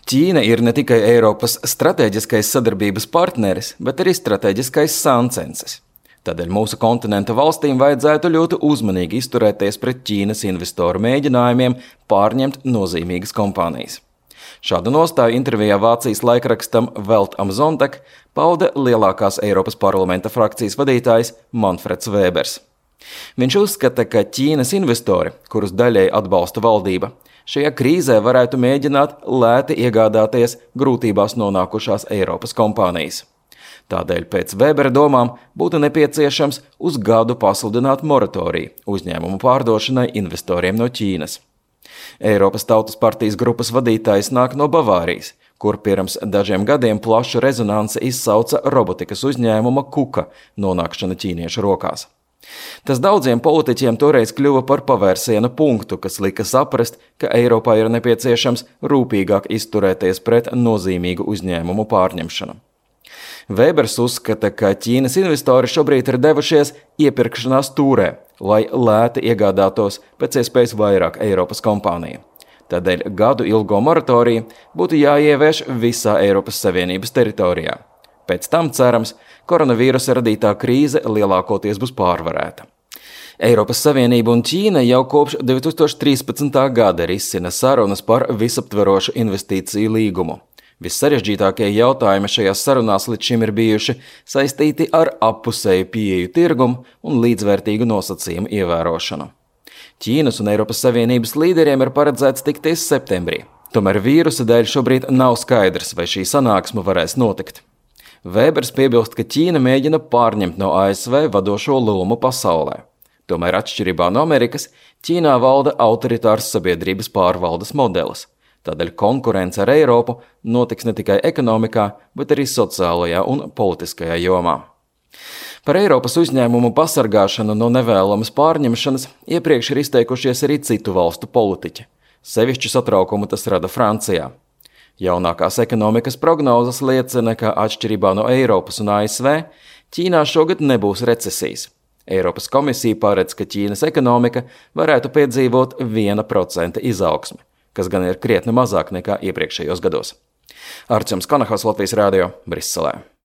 Ķīna ir ne tikai Eiropas strateģiskais sadarbības partneris, bet arī strateģiskais sāncensis. Tādēļ mūsu kontinenta valstīm vajadzētu ļoti uzmanīgi izturēties pret Ķīnas investoru mēģinājumiem pārņemt nozīmīgas kompānijas. Šādu nostāju intervijā Vācijas laikrakstam Welt am Sonntag pauda lielākās Eiropas parlamenta frakcijas vadītājs Manfreds Vēbers. Viņš uzskata, ka Ķīnas investori, kurus daļēji atbalsta valdība, šajā krīzē varētu mēģināt lēti iegādāties grūtībās nonākušās Eiropas kompānijas. Tādēļ pēc Vēbera domām būtu nepieciešams uz gadu pasludināt moratoriju uzņēmumu pārdošanai investoriem no Ķīnas. Eiropas Tautas partijas grupas vadītājs nāk no Bavārijas, kur pirms dažiem gadiem plašu rezonanci izsauca robotikas uzņēmuma Kuka nonākšana ķīniešu rokās. Tas daudziem politiķiem toreiz kļuva par pavērsiena punktu, kas lika saprast, ka Eiropā ir nepieciešams rūpīgāk izturēties pret nozīmīgu uzņēmumu pārņemšanu. Vēbers uzskata, ka Ķīnas investori šobrīd ir devušies iepirkšanās tūrē, lai lēti iegādātos pēc iespējas vairāk Eiropas kompāniju. Tādēļ gadu ilgo moratoriju būtu jāievieš visā Eiropas Savienības teritorijā. Pēc tam, cerams, koronavīrusa radītā krīze lielākoties būs pārvarēta. Eiropas Savienība un Ķīna jau kopš 2013. gada risina sarunas par visaptverošu investīciju līgumu. Vissarežģītākie jautājumi šajās sarunās līdz šim ir bijuši saistīti ar appusēju pieeju tirgumu un līdzvērtīgu nosacījumu ievērošanu. Ķīnas un Eiropas Savienības līderiem ir paredzēts tikties septembrī. Tomēr vīrusa dēļ šobrīd nav skaidrs, vai šī sanāksme varēs notikt. Vēbers piebilst, ka Ķīna mēģina pārņemt no ASV vadošo lomu pasaulē. Tomēr atšķirībā no Amerikas, Ķīnā valda autoritārs sabiedrības pārvaldes modelis. Tādēļ konkurence ar Eiropu notiks ne tikai ekonomikā, bet arī sociālajā un politiskajā jomā. Par Eiropas uzņēmumu pasargāšanu no nevēlamas pārņemšanas iepriekš ir izteikušies arī citu valstu politiķi. Sevišķu satraukumu tas rada Francijā. Jaunākās ekonomikas prognozes liecina, ka atšķirībā no Eiropas un ASV, Ķīnā šogad nebūs recesijas. Eiropas komisija paredz, ka Ķīnas ekonomika varētu piedzīvot 1% izaugsmi, kas gan ir krietni mazāk nekā iepriekšējos gados. Arčuns Kanahos, Latvijas Rādio, Briselē.